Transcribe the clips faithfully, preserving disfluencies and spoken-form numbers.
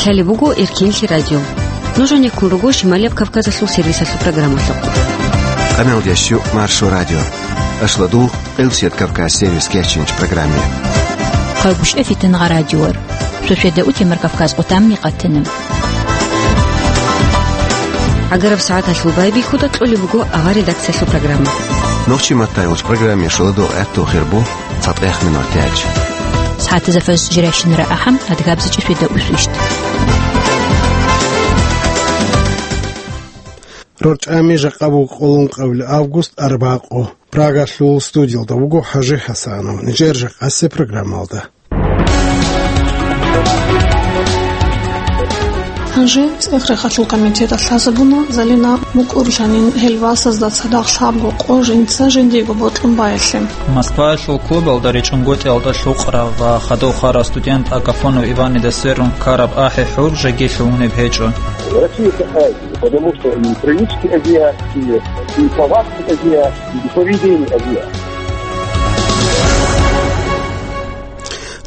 Лъалеб буго Эркенлъи радио. Нуж гьанеккун руго Шималияб Кавказалъул сервисалъул программалъухъ. Къаналдящу Маршо радио. Ашладул Къилсият Кавказ сервис кечинч программе. Хъайбушев Фитангъа радиор. Суседа утемар Кавказ отамни къатана. Агараб сагӀаталъул байбихьуда кьолеб буго авар редакциялъул программа. Нохчи маттайулч программе шуладул гӀатту хирбу. ЦатӀех минут тяч. СагӀатазда фаз жирайщинара ахӀам, адгабзичӀи светда усвищт. РорчӀами жакъа буго къоло ункъабилеб август, арбакъу. Прагалъул студиялда вуго ХӀажи ХӀасанов. Нижер жакъасе программалда. Гьанже ЦӀех-рехалъул комитеталъ лъазабуна, Залина мукӀурлъанин гьел васазда цадахъ лъабго къо жинца жиндиего бокьун баялъе. Москваялъул клубалда ричӀунгутӀиялда лъукъарав ва хадув хварав студент Агафонов Иванида сверун ккараб ахӀи-хӀур жеги лъугьунеб гьечӀо. Россия такая, потому что и привычки азиатские, и повадки азиатские, и поведение азиатское.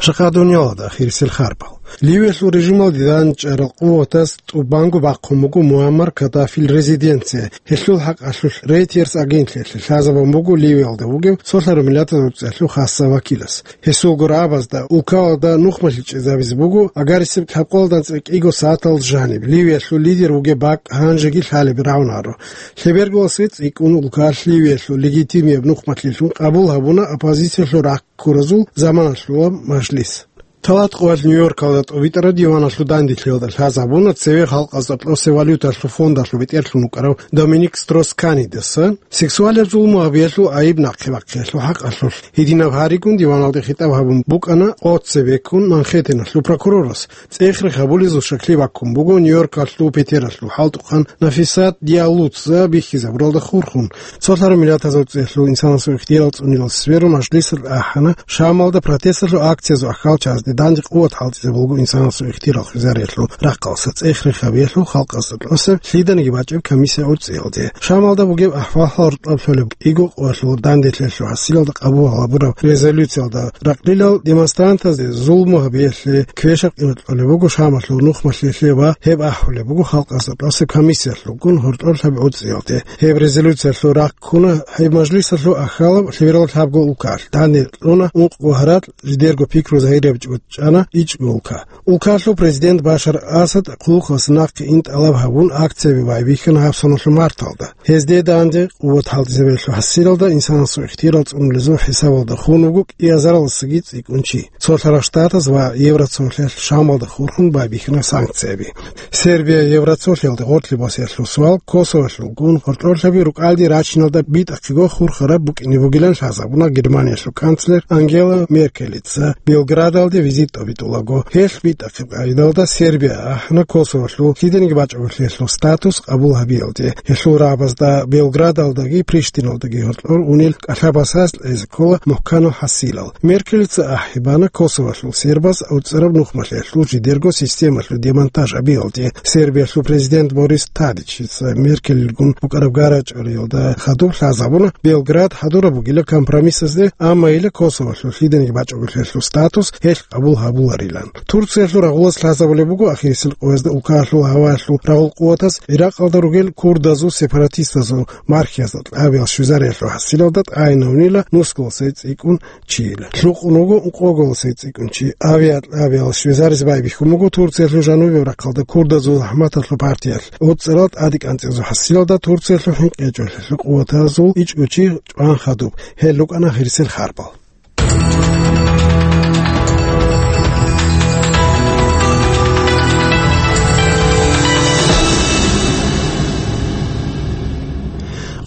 Жакъа дуниялалда ахирисел харбал. Ливиялъул режималде дандчӀварал къуватаз тӀубанго бахъун буго Муаммар Каддафил резиденция. Гьелъул хӀакъалъулъ Рейтерс агентлъиялъе лъазабун буго Ливиялда вугев цолъараб миллатазул цӀехлъу хасса вакилас. Гьесул гурабазда улкалда нухмалъи чӀезабизе буго, агарисеб лъабкъоялда анцӀила кӀиго сагӀаталда жаниб Ливиялъул лидер вугеб бакӀ гьанжеги лъалеб рагӀунаро. Лъеберголасе цӀикӀкӀун улкалъ Ливиялъул легитимияб нухмалъилъун къабул гьабуна оппозициялъул рахъ ккуразул заманалъула мажлис. Талат къоялъ Нью-Йоркалда тӀубитӀараб диваналъул данделъиялда лъазабуна цеве халкъазда кьосе валюталъул фондалъул бетӀерлъун вукӀарав Доминик Строс-Канидаса сексуалияб зулму гьабиялъул айиб нахъе бахъиялъул хӀакъалъулъ. Гьединаб гьаригун диваналде хитӀаб гьабун букӀана къо цебеккун Манхэттеналъул прокурорас. ЦӀех-рех гьабулезул щаклъи баккун буго Нью-Йоркалъул петералъул хӀалтӀухъан Нафисат Диаллуца бихьизабуралда хурхун. Цолъараб миллатазул цӀехлъу инсанасул ихтияр цӀунилал сверун мажлисалъ ахӀана Шамалда протесталъул акциязул ахьалчазде данде къуват хӀалтӀизабулго инсанасул ихтияр хвезариялъул рахъалъа цӀех-рех гьабиялъул халкъазда кьосеб лъиданиги бачӀеб комиссия гӀуцӀиялде. Шамалда бугеб ахӀвал гьоркьоб лъолеб кӀиго къоялъул данделъиялъул хӀасилалда къабул гьабураб резолюциялда ракълилал демонстрантазде зулму гьабиялъе квешаб къимат кьолеб буго Шамалъул нухмалъилъе ва гьеб ахӀулеб буго халкъазда кьосеб комиссиялъулгун гьоркьоб лъаб гӀуцӀиялде. Гьеб резолюциялъул рахъ ккуна гьеб мажлисалъул ахьалаб лъеберал лъабго улкалъ. Данде кьуна ункъго гьаракь, жидерго пикру загьирияб чӀучӀана ичӀго улка. Улкалъул президент Башар Асад хъулухъалъ нахъе ин тӀалаб гьабун, акцияби байбихьана гьаб соналъул марталда. Гьезде данде къуват хӀалтӀизабиялъул хӀасилалда инсанасул ихтияр цӀунулезул хӀисабалда хун вуго кӀиазаралдасаги цӀикӀкӀун чи. Цолъарал Штатаз ва Евроцолъиялъ Шамалда хурхун байбихьана санкцияби. Сербия Евроцолъиялде гъорлъи босиялъул суал Косоволъулгун гьоркьорлъаби рукӀалде рачиналда битӀахъего хурхараб букӀине бугилан лъазабуна Германиялъул канцлер Ангела Меркелица Белградалде визит тӀобитӀулаго. Гьелъ битӀахъеб къагӀидалда Сербия ахӀана Косоволъул лъиданиги бачӀунелъул статус къабул гьабиялде. Гьелъул рагӀабазда Белградалдаги Приштиналдаги гьоркьор унел кӀалъабасаз кьезе ккола мухӀканал хӀасилал. Меркелица ахӀи бана Косоволъул сербаз авцӀараб нухмалъиялъул жидерго системалъул демонтаж гьабиялде. Сербиялъул президент Борис Тадичица Меркелилгун букӀараб гарачӀариялда хадуб лъазабуна Белград хӀадураб бугила компромиссазде, амма ила Косоволъул лъиданиги бачӀунелъул статус гьелъ къабул гьабуларилан. Турциялъул рагъулас лъазабулеб буго ахирисел къоязда улкаялъул гьаваялъул рагъул къуватаз Иракъалда ругел курдазул сепаратистазул мархиязда кьабиял щвезариялъул хӀасилалда тӀагӀинавнила нусгуласе цӀикӀкӀун чийила. Лъукъун вуго ункъоголасе цӀикӀкӀун чи. Авиакьабиял щвезаризе байбихьун буго Турциялъул жанубияб рахъалда курдазул захӀматалъул партиялъ. ГӀуцӀарал тӀаде кӀанцӀизул хӀасилалда Турциялъул хӀинкъичӀолъиялъул къуватазул ичӀго чи чӀван хадуб. Гьел рукӀана ахирисел харбал.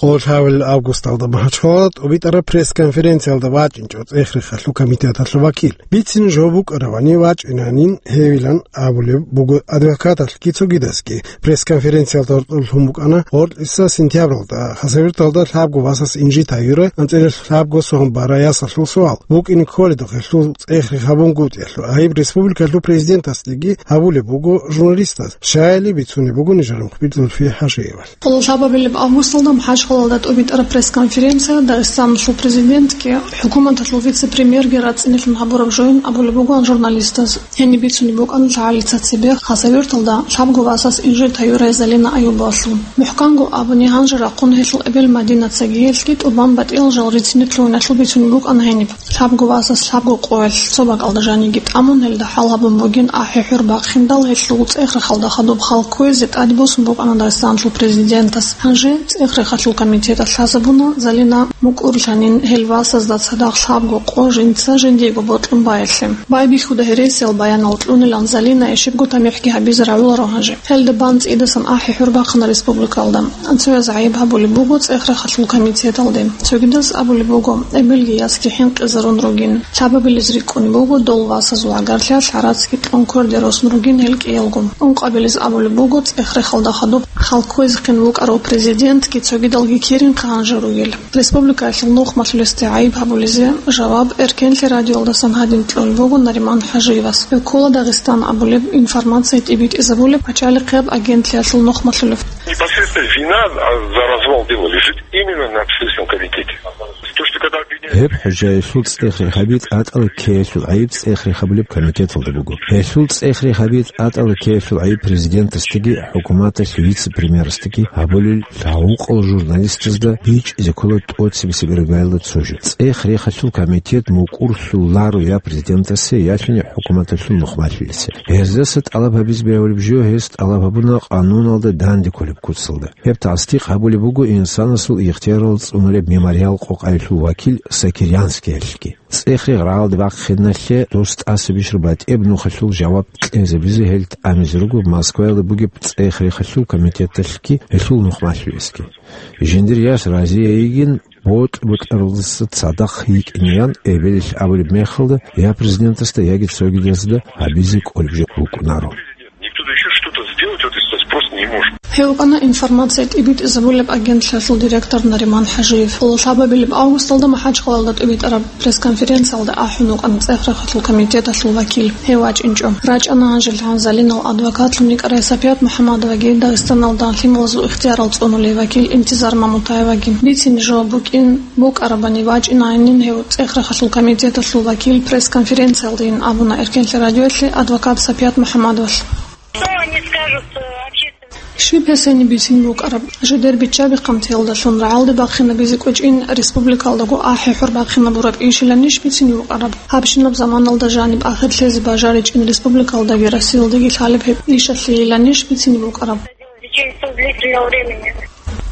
Къоло лъабабилеб августалда МахӀачхъалалда тӀубитӀараб пресс-конференциялда вачӀинчӀо ЦӀех-рехалъул комитеталъул вакил. Бицин жо букӀаравани вачӀинанин гьевилан абулеб буго адвокаталъги цогидазги. Пресс-конференциялда гьоркьоб лъун букӀана гъоркьиса сентябралда Хасавюрталда лъабго васас инжит гьаюра анцӀила лъабго сон бара ясалъул суал. БукӀине кколеб гьелъул цӀех-рех гьабунгутӀиялъул айиб республикалъул президентасдеги гьабулеб буго журналистаз, щайили бицунеб буго нижер мухбир Зульфия ХӀажиевалъ. Къоло лъабабилеб августалда МахӀач Гьалда тӀубитӀараб пресс-конференция Дагъистаналъул президентги, хӀукуматалъул вице-премьерги рацӀцӀинилъун гьабураб жоян абулеб бугоан журналистаз. Гьениб бицунеб букӀана лъагӀалица цебе Хасавюрталда лъабго васас инжит гьаюрай Залина Аюбовалъул. МухӀканго абуни, гьанже рахъун гьелъул эбел Мадинацаги гьелъги тӀубан батӀиял жал рицине лъугьиналъул бицунеб букӀана гьениб. Лъабго васас лъабго къоялъ цо бакӀалда жаниги тӀамун, гьелда хӀал гьабун бугин ахӀи-хӀур бахъиндал, гьелъул цӀех-рехалда хадуб хал кквезе тӀаде босун букӀана Дагъистаналъул президентас. Гьанже цӀех-рехалъул комитеталъ лъазабуна Залина мукӀурлъанин гьел васазда цадахъ лъабго къо жинца жиндиего бокьун баялъе. Байбихьуда гьересиял баянал кьунилан Залина ишибго тамихӀги гьабизе рагӀуларо гьанже. Гьелда бан цӀидасан ахӀи-хӀур бахъана республикалда. Цояз гӀайиб гьабулеб буго цӀех-рехалъул комитеталде. Цогидаз абулеб буго, эбелги ясги хӀинкъизарун ругин. Лъабабилез рикӀкӀунеб буго дол васазул гӀагарлъиялъ гӀарацги кьун кверде росун ругин гьел кӀиялго. Ункъабилез абулеб буго цӀех-рехалда хадуб хал кквезехъин вукӀарав президентги цогидалги кирин хъанжа ругел. Республикаялъул нухмалъулесде гӀайиб гьабулезе жаваб Эркенлъи радиоялдасан гьадин кьолеб буго Нариман ХӀажиевас. Гьев ккола Дагъистан абулеб информация тӀибитӀизабулеб пачалихъияб агентлъиялъул нухмалъулев. Непосредственно вина, а, за развал дела лежит именно на Следственном комитете. То, что когда обвиняют... Гьеб хӀужаялъул цӀех рехаби тӀатӀала ккеялъул гӀайиб цӀех рехабулеб комитеталда буго. Гьелъул цӀех рехаби тӀатӀала ккеялъул гӀайиб президентасдаги хӀукуматалъ вице-премьерасдаги гьабулел лъагӀукъал журналистазда бичӀчӀизе ккола тӀоцебесеб иргаялда цо жо. ЦӀех рехалъул комитет мукӀурлъуларо я президентасе, ялъуни хӀукуматалъул нухмалъулесе. Гьездаса тӀалаб гьабизе бегьулеб жо гьес тӀалаб гьабуна къануналда данде кколеб куцалда. Гьеб тасдикъ гьабулеб буго инсанасул ихтиярал цӀунулеб мемориал къокъаялъул вакил Сокирянскиялъги. ЦӀех-рех рагӀалде бахъиналъе дос тӀаса бищун батӀияб нухалъул жаваб кьезабизе гьел тӀамизе руго Москваялда бугеб цӀех-рехалъул комитеталъги гьелъул нухмалъулесги. Жиндир яс разияйигин, бокь-бокьаралдаса цадахъ йикӀинеян эбелалъ абулеб мехалда, я президентасда, яги цогидазда гьабизе кӀолеб жо букӀунаро. Никто ещё что-то сделать, вот, если спрос не может. Гьев вукӀана информация тӀибитӀизабулеб агентлъиялъул директор Нариман ХӀажиев. Лъабабилеб августалда МахӀачхъалалда тӀибитӀараб пресс-конференциялда ахӀун вукӀана цӀех-рехалъул комитеталъул вакил. Гьев вачӀинчӀо. РачӀана гьанжел гьан Залинал адвокатлъун йикӀарай Сапият МухӀаммадоваги Дагъистаналда лъималазул ихтияр цӀунулей вакил Интизар Мамутаеваги. Бицине жо букӀин букӀарабани вачӀинайинин гьев цӀех-рехалъул комитеталъул вакил пресс-конференциялдайин абуна Эркенлъи радиоялъе адвокат Сапият МухӀаммадовалъ. Что они скажут, э, общественному? Щиб гьес гьениб бицин букӀараб? Жидер биччаби-хъантиялдалъун рагӀалде бахъинабизе кӀвечӀин республикалдаго ахӀи-хӀур бахъинабураб ишиланищ бицин букӀараб? Гьабщинаб заманалда жаниб ахирлъезе бажаричӀин республикалдаги Россиялдаги лъалеб гьеб ишалъейиланищ бицин букӀараб? В течение длительного времени.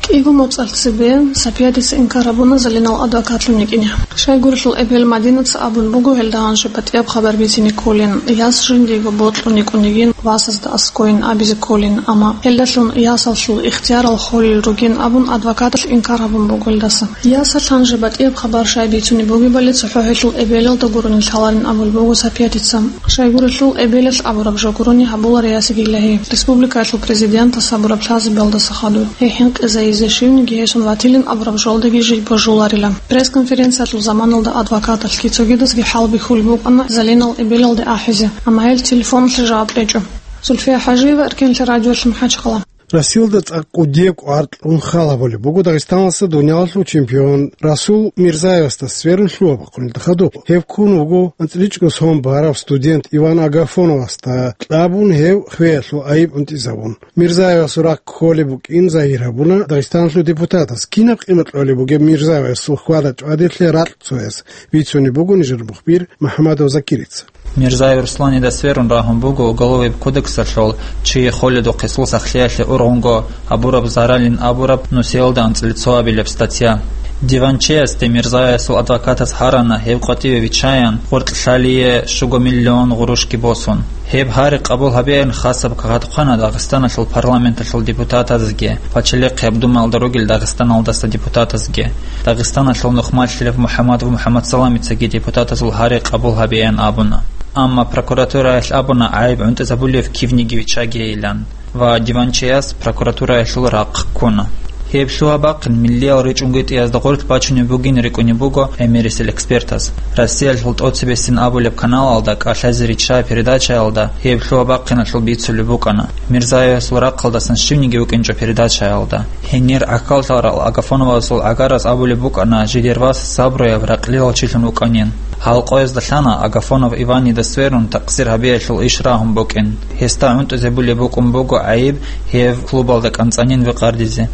КӀиго моцӀалъ цебе Сапиятица инкар гьабуна Залинал адвокатлъун йикӀине. Щайгурелъул эбел Мадинаца абун буго гьелда гьанже батӀияб хабар бицине кколин, яс жиндиего бокьун йикӀун йигин васазда аскӀойин абизе кколин, амма гьелдалъун ясалъул ихтиярал холел ругин абун адвокаталъ инкар гьабун буго гьелдаса. Ясалъ гьанже батӀияб хабар щай бицунеб бугебали цохӀо гьелъул эбелалда гурони лъаларин абулеб буго Сапиятица. Щайгурелъул эбелалъ абураб жо гурони гьабулари ясиги илагьи. Республикаялъул президентас гьабураб лъазабиялдаса хадуб гьей хӀинкъизайизе щивниги гьесун ватилин абураб жолдиги жий божуларила. Пресс-конференциялъул заманалда адвокаталъги цогидазги хӀалбихьулеб букӀана Залинал эбелалде ахӀизе, амма гьел телефоналъе жаваб кьечӀо. Зульфия ХӀажиева, Эркенлъи радиолъи, МахӀачхъала. Россиялда цӀакъ кӀудияб кӀвар кьун хал гьабулеб буго Дагъистаналъа дунялалъул чемпион Расул Мирзаевасда сверун лъугьа-бахъунелда хадуб. Гьев ккун вуго анцӀила чӀужу сон барав студент Иван Агафоновасда, кьабун гьев хвеялъул айиб гӀунтӀизабун. Мирзаевасул рахъ кколеб букӀин загьир гьабуна Дагъистаналъул депутатас. Кинаб къимат кьолеб бугеб Мирзаевасул хьвада-чӀвадиялъе ракь цояс, бицунеб буго нижер мухбир МухӀамадов Закирица. Мирзаев Русланида сверун рагьун буго Уголовый кодексалъул чияхъуледухъе сул сахлъиялъе ургъунго гьабураб заралин абураб нусиялда анцӀила цоабилеб статья. Диванчиясде Мирзаевасул адвокатас гьарана гьев къватӀиве виччаян гъоркьлъалие щуго миллион гъурущги босун. Гьеб гьари къабул гьабеян хасаб кагъатухъана Дагъистаналъул парламенталъул депутатазеги, пачалихъияб Думаялда ругел Дагъистаналдаса депутатазеги. Дагъистаналъул нухмалъилав МухӀаммадов МухӀаммадсаламицаги депутатазул гьари къабул гьабеян абуна. Амма прокуратураялъ абуна гӀайиб гӀунтӀизабулев кивниги виччагейилан ва диванчияс прокуратураялъул рахъ ккуна. Гьеб лъугьа-бахъин миллиял ричӀунги тӀиязда гъорлъ бачунеб бугин рикӀкӀунеб буго гӀемерисел экспертаз. Россиялъул тӀоцебесин абулеб каналалда «КӀалъазе ричча» передачаялда гьеб лъугьа-бахъиналъул бицулеб букӀана. Мирзаевасул рахъалдасан щивниги вукӀинчӀо передачаялда. Гьенир гӀахьаллъарал Агафоновасул гӀагарас абулеб букӀана, жидер вас сабруяб, ракълилал чилъун вукӀанин. Гьал къоязда лъана Агафонов Иванида сверун такъсир гьабиялъул иш рагьун букӀин. Гьесда гӀунтӀизе булеб букӀун буго гӀайиб гьев клубалда кӀанцӀанин векъардизе.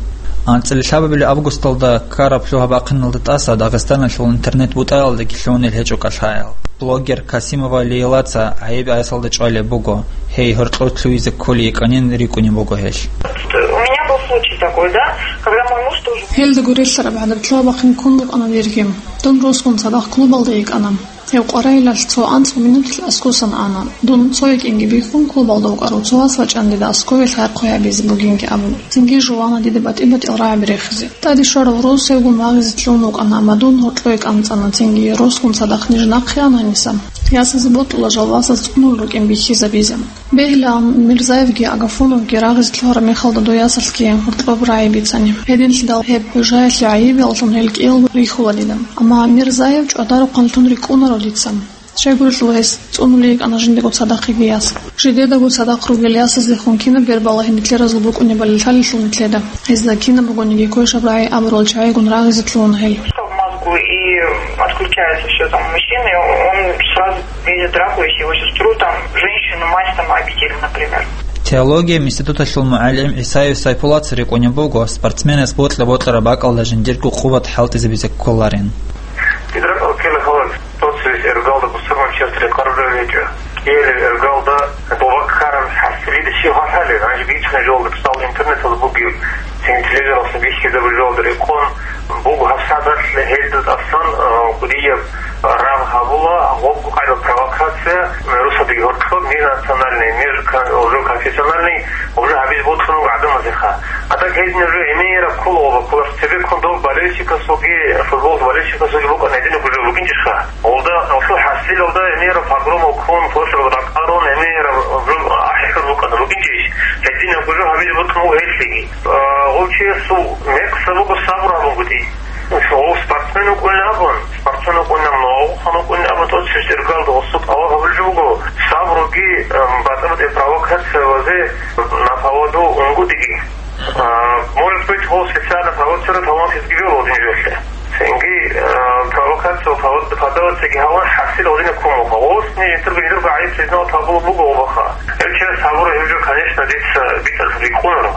АнцӀила лъабабилеб августалда ккараб лъугьа-бахъиналда тӀаса Дагъистаналъул интернет-бутӀаялдаги лъугьунел гьечӀо кӀалъаял. Блогер Касимова Лейлаца гӀайиб гӀасалда чӀвалеб буго, гьей гьоркьов лъугьизе кколей йикӀанин рикӀкӀунеб буго гьелъ. У меня был случай такой, да, когда мой муж тоже... Гьелда гурелъараб гӀадаб лъугьа-бахъин ккун букӀана дирги. Дун росгун цадахъ клубалда йикӀана. Гьев къваригӀелалъ цо анцӀго минуталъ аскосан ана. Дун цо якӀинги бихьун, клубалда вукӀарав цо вас вачӀана дида аскове лъай-хъвай гьабизе бугинги абун. Цинги жувана дида батӀи-батӀиял рагӀаби рехизе. ТӀаде щварав рос гьевгун вагъизе лъугьун вукӀана, амма дун гьоркьое кӀанцӀана, цинги росгун цадахъ ниж нахъе анани, ясазе бокьула жал васаз цӀунул рукӀин бихьизабизе. Бегьилаан, Мирзаевги Агафоновги рагъизе лъугьараб мехалда дой ясалъги гьоркьоб рагӀи бицани. Гьединлъидал гьеб гӀужаялъе гӀайибияллъун гьел кӀиялго рихьула дида. Амма Мирзаев чӀвадарухъанлъун рикӀкӀунаро дица. Щайгурелъул гьес цӀунулей йикӀана жиндаго цадахъ йиги яс. Жидедаго цадахъ ругел ясазехун кинаб бербалагьи нилъеразул букӀунебали лъалелъул нилъеда. Гьезда кинаб бугониги квешаб рагӀи абурал чагӀигун рагъизе лъугьуна гьел. Что в мозгу, и отключается всё там у мужчины, он сразу видит драку, если его сестру, там, женщину, мать, там, обидели, например. Теологияб институталъул мугӀалим ГӀисаев Сайпулаца рикӀкӀунеб буго, спортсменас бокьа-бокьараб бакӀалда жиндирго къуват хӀалтӀизабизе кколарин. Гидра кӀалккела халал, тӀоцебесеб иргалда бусурманчиясда рекъараб рагӀи гьечӀо. КӀиабилеб иргалда доба ккараб хӀасилида щиб гьархӀалеб, гьанже бицунеб жолда, мисал, интернеталда бугеб, цин телевизоралъа бихьизабураб жолда рекъон буго гьаб сагӀаталъ гьелда тӀасан, а, кӀудияб рагъ гьабула, гъоб къайда провокация, росадаги гьоркьоб, межнациональный, межкон-, уже конфессиональный, уже гьабизе бокьун буго гӀадамазеха. А так гьединаб жо гӀемераб ккола, гъоба ккола, цебеккун дов болельщикасулги, футбол болельщикасулги букӀана гьединаб жо букӀинчӀищха? Гъолда, гъолъул хӀасилалда гӀемераб погромал ккун, площадь ракъарун, гӀемераб жо ахӀи-хӀур букӀана букӀинчӀищ? Гьединаб жо гьабизе бокьун буго гьелъиги. А, гъов чиясул мекъса буго сабур гьабунгутӀи. Гъов спортсмен вукӀунин абун, спортсмен вукӀунин абун, вукӀунин абун, тӀоцебесеб иргалда гъосул тӀалаб гьабулеб жо буго, сабруги, эм, батӀа-батӀи провокациялазе на поводу унгутӀиги. А, может быть, гъов специально провоцировать гьабун гьезги вел гъодин жоялъе. Цинги, а, провокация, провоци-, провокацияги гьабун хӀасил гъодине ккун буго. Гъосни жиндирго, жиндирго гӀайиб признавать гьабулеб буго гъобаха. Гьеб чияс сабур гьеб жо, конечно, дица битӀараб рикӀкӀунаро.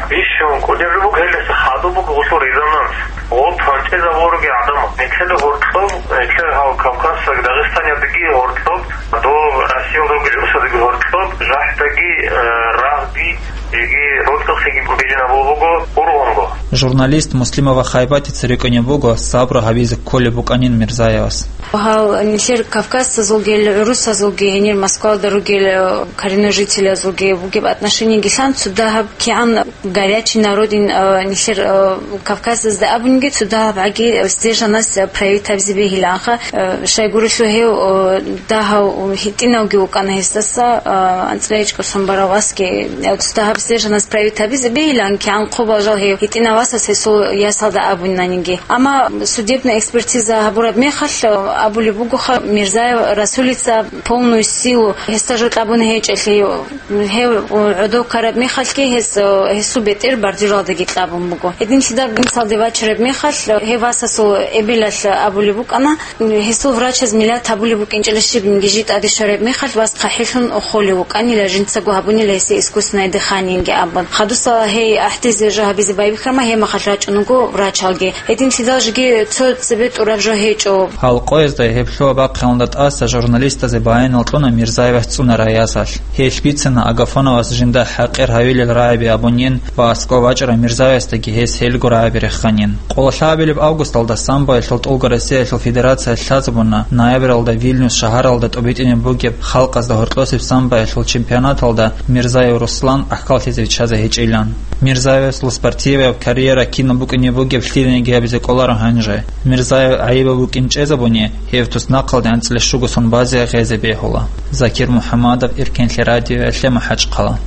Бищун кӀудияб жо буго гьелдаса хадуб буго гъолъул резонанс. Гъоб гьанчӀезабулароги гӀадамал. Нилъеда гьоркьоб, нилъер гьав Кавказалдаги Дагъистаналдаги гьоркьоб, дов Россиялда ругел росадаги гьоркьоб, жахӀдаги, э, рагъги, жеги рокьухъеги бижинабулеб буго ургъунго. Журналист Муслимова Хайбатица рикӀкӀунеб буго сабру гьабизе кколеб букӀанин Мирзаевас. Гьал нилъер кавказцазулги, гӀурусазулги, гьенир Москвалда ругел, э, коренной жителязулги бугеб отношениегилан цо дагьаб кигӀан горячий народин, э, нилъер, э, Кавказазда абунги цо дагьаб гӀаги сдержанность, э, проявить гьабизе бегьилаанха, э, щайгурелъул гьев, э, дагьав гьитӀинавги вукӀана гьесдаса, э, анцӀила ичӀго сон барав васги, э, цо дагьаб сдержанность проявить гьабизе бегьилаан кигӀан хъубал жал гьев гьитӀинав васас гьесул ясалда абунаниги. Амма судебная экспертиза гьабураб мехалъ, э, абулеб бугоха, Мирзаев Расулица полную силу гьесда жо кьабун гьечӀелъи, гьев гӀодов ккараб мехалъги гьес, э, гьесул бетӀер бордюралдаги кьабун буго. Гьединлъидал мисалде вачараб мехалъ, гьев васасул эбелалъ абулеб букӀана, гьесул врачаз миллат гьабулеб букӀинчӀила щибниги жи тӀаде щвараб мехалъ вас хъахӀилъун холев вукӀанила, жинцаго гьабунила гьесие искусственное дыханиеги абун. Хадусала гьей гӀахӀдизе жо гьабизе байбихьарма, гьеб мехалъ рачӀунаго врачалги. Гьединлъидал жеги цо цебе тӀураб жо гьечӀо. Гьал къоязда гьеб лъугьа-бахъиналда тӀаса журналистазе баянал кьуна Мирзаевас цӀунарай ясалъ. Гьелъ бицана Агафоновас жинда хӀакъир гьавилел рагӀаби абунин ва аскӀов вачӀарав Мирзаевасдаги гьес гьелго рагӀаби реханин. Къоло лъабабилеб августалда самбоялъул ТӀулго Россиялъул Федерация лъазабуна ноябралда Вильнюс шагьаралда тӀубитӀине бугеб халкъазда гьоркьосеб самбоялъул чемпионаталда Мирзаев Руслан ахӀкаллъизе виччазе гьечӀилан. Мирзаевасул спортиваяб карьера кинаб букӀине бугеб лъиланиги гьабизе кӀоларо гьанже. Мирзаев гӀайибаб букӀин чӀезабуни, гьев туснахъалде анцӀила щуго сон базе гьезе бегьула. Закир МухӀамадов, Иркенлъи радиоялъе, МахӀачхъала.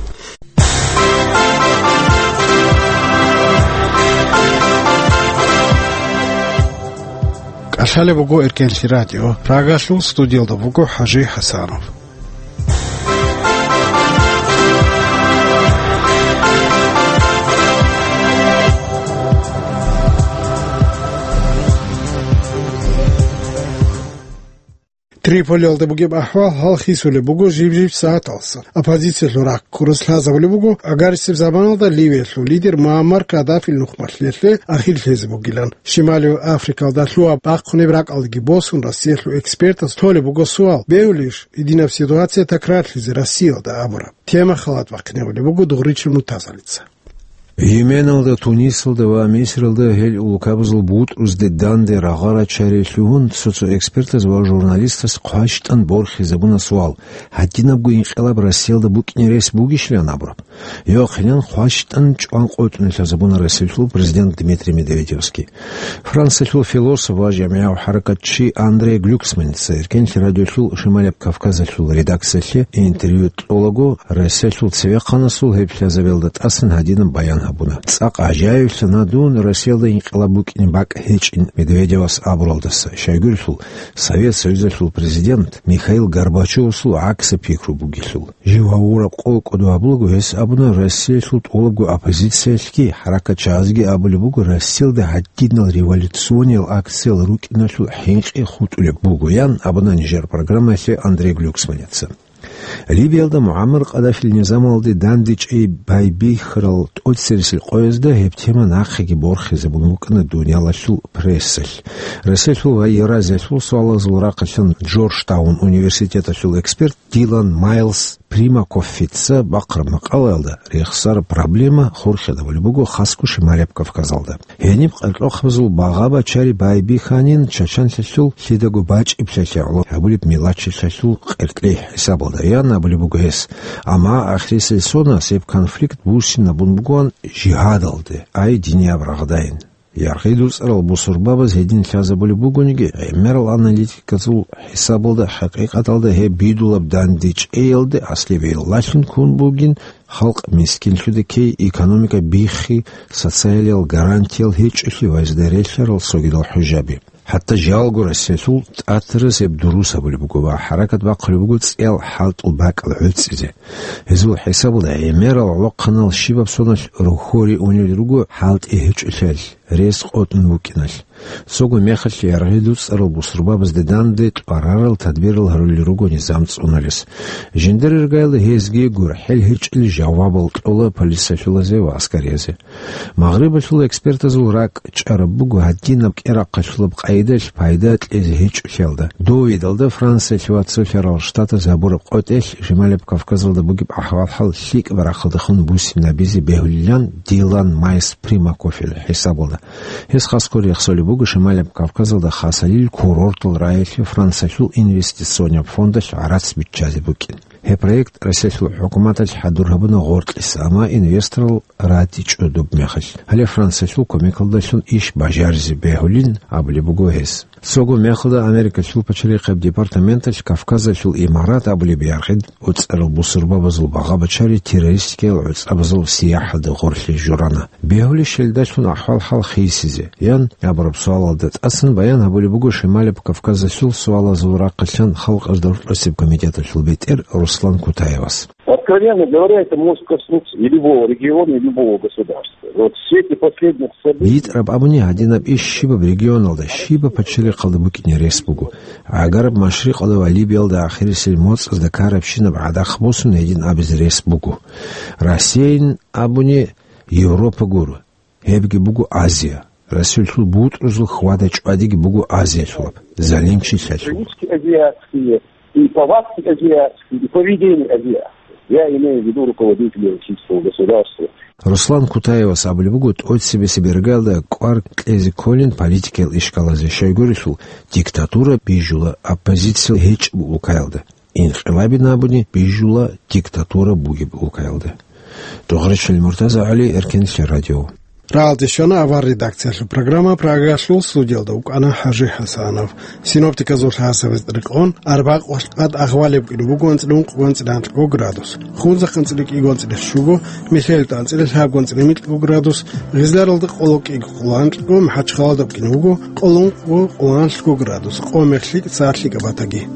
Лъалеб буго Эркенлъи радио. Прагалъул студиялда буго ХӀажи ХӀасанов. Триполиялда бугеб ахӀвал гьал хисулеб буго жиб-жиб сагӀаталса. Оппозициялъул рахъ ккурас лъазабулеб буго, агарисеб заманалда Ливиялъул лидер Муаммар Каддафил нухмалъиялъе ахир лъезе бугилан. Шималияб Африкалда лъугьа-бахъунеб ракӀалдеги босун, Россиялъул экспертаз толеб буго суал: бегьулищ гьединаб ситуация такрарлъизе Россиялда абураб? Тема халат бахъинабулеб буго Дугъричил Муртазалица. Йеменалда, Тунисалда ва Мисралда гьел улкабазул бутӀрузде данде рагъа-рачари лъугьун, цо-цо экспертаз ва журналистаз хъващтӀан борхизабуна суал: гьадинабго инкъилаб Россиялда букӀине рес бугищилан абураб? Йохъилан хъващтӀан чӀван къотӀун лъазабуна Россиялъул президент Дмитрий Медведевский. Франциялъул философ ва жамигӀав хӀаракатчи Андрей Глюксманица Эркенлъи радиолъул Шималияб Кавказалъул редакциялъе интервью кьолаго, Россиялъул цевехъанасул гьеб лъазабиялда тӀасан гьадинаб баян гьабуна: «ЦӀакъ гӀажаиблъана дун Россиялда инкъилаб букӀине бакӀ гьечӀин Медведевас абуралдаса, щайгурелъул Совет Союзалъул президент Михаил Горбачевасул гӀаксаб пикру бугелъул». Жив гьавураб къо кӀодо гьабулаго гьес абуна, Россиялъул тӀолабго оппозициялъги хӀаракатчагӀазги абулеб буго, Россиялда гьадинал революциониял акциял рукӀиналъул хӀинкъи хутӀулеб буго, ян абуна нижер программаялъе Андрей Глюксманица. Либиялда Муаммар Каддафил низамалде дандечӀей байбихьарал тӀоцересел къоязда гьеб тема нахъеги борхизабун букӀана дуниялалъул прессалъ. Россиялъул ва Евразиялъул суалазул рахъалъан Джорджтаун университеталъул эксперт Дилан Майлз Примакоффица бахъараб макъалаялда рехсараб проблема хурхидабулеб буго хасго Шималияб Кавказалда. Гьениб къеркьохъабазул багъа-бачари байбихьанин чачанлъалъул лъидаго бачӀиблъиялъе гӀоло гьабулеб мелачлъиялъул къеркьей хӀисабалда, ян абулеб буго гьес. Амма ахирисел сонас гьеб конфликт буссинабун бугоан жигьадалде, ай динияб рагъдайин. ЯргъидуцӀарал бусурбабаз гьедин лъазабулеб бугониги, гӀемерал аналитиказул хӀисабалда хӀакъикъаталда гьеб бидулаб дандечӀеялде аслияб гӀиллалъун ккун бугин халкъ мискинлъуде ккей, экономика биххи, социалиял гарантиял гьечӀолъи ва гьезда релълъарал цогидал хӀужаби. ХӀатта жалго Россиялъул тӀатараз гьеб дурус гьабулеб буго ва хӀаракат бахъулеб буго цӀиял хӀалтӀул бакӀал гӀуцӀизе. Гьезул хӀисабалда гӀемерал гӀолохъанал щибаб соналъ рохьоре унел руго хӀалтӀи гьечӀолъиялъ, рес къотӀун букӀиналъ. Цого мехалъ яргъи дуцӀарал бусурбабазде данде тӀварарал тадбирал гьарулел руго низам цӀуналес. Жиндир иргаялда гьезги гурхӀел гьечӀел жавабал кьола полициялъулазе ва аскариязе. Магърибалъул экспертазул ракӀ чӀараб буго гьадинаб кӀерахъалъулаб къайдалъ пайда кьезе гьечӀолъиялда. Довидалда Франциялъ ва Цолъарал Штатаз гьабураб къотӀелъ Шималияб Кавказалда бугеб ахӀвал-хӀал лъикӀаб рахъалдехун буссинабизе бегьулилан Дилан Майс Примакоффил хӀисабалда. Гьес хасго рехсолеб буго Шималияб Кавказалда хасалил курортал раялъе Франциялъул инвестиционияб фондалъ гӀарац биччазе букӀин. Гьеб проект Россиялъул хӀукуматалъ хӀадур гьабуна гъоркьиса, амма инвесторал ратичӀо доб мехалъ. Гьале Франциялъул кумекалдалъун иш бажаризе бегьулин абулеб буго гьес. Цого мехалда Америкалъул пачалихъаб департаменталъ Кавказалъул имарат абулеб яргъи дуцӀарал бусурбабазул багъа-бачари террористикиял гӀуцӀабазул сияхӀалда гъорлъе журана. Бегьулищ гьелдалъун ахӀвал-хӀал хисизе, ян абураб суалалда тӀасан баян гьабулеб буго Шималияб Кавказалъул суалазул рахъалъан халкъазда рокьосеб комитеталъул бетӀер Руслан Кутаевас. Откровенно говоря, это может коснуться и любого региона, и любого государства. Вот в свете последних событий... БитӀараб абуни, гьадинаб иш щибаб регионалда, щибаб пачалихъалда букӀине рес буго. Гьагараб Машрикъалда ва Либиялда ахирисел моцӀазда ккарабщинаб гӀадахъ босун гьедин абизе рес буго. Россиялин абуни, Европа гуро. Гьебги буго Азия. Россиялъул бутӀрузул хьвада-чӀвадиги буго Азиялъулаб, залимчилъалъул. Привычки азиатские, и повадки азиатские, и поведение азиатское. Я имею в виду руководителей российского государства. Руслан Кутаевас абулеб буго, тӀоцебесеб иргаялда кӀвар кьезе кколин политикиял ишкалазе, щайгурелъул диктатура бижула оппозиция гьечӀеб улкаялда. Инкъилабин абуни бижула диктатура бугеб улкаялда. Дугъричил Муртазагьали, Эркенлъи радио. Рагьалде щвана авар редакциялъул программа. Прагаялъул студиялда вукӀана ХӀажи ХӀасанов. Синоптиказул лъасабиз рекъон, арбакъвалъ къад агъвалеб кӀине буго анцӀила ункъго, анцӀила анкьго градус. Хунзахъ анцӀила кӀиго, анцӀила щуго, Михьелда анцӀила лъабго, анцӀила микьго градус, Гъизларалда къоло кӀиго, къоло анкьго, МахӀачхъалада кӀине буго къоло ункъго, къоло анлъго градус, къо мехлъи цалъи кабатаги.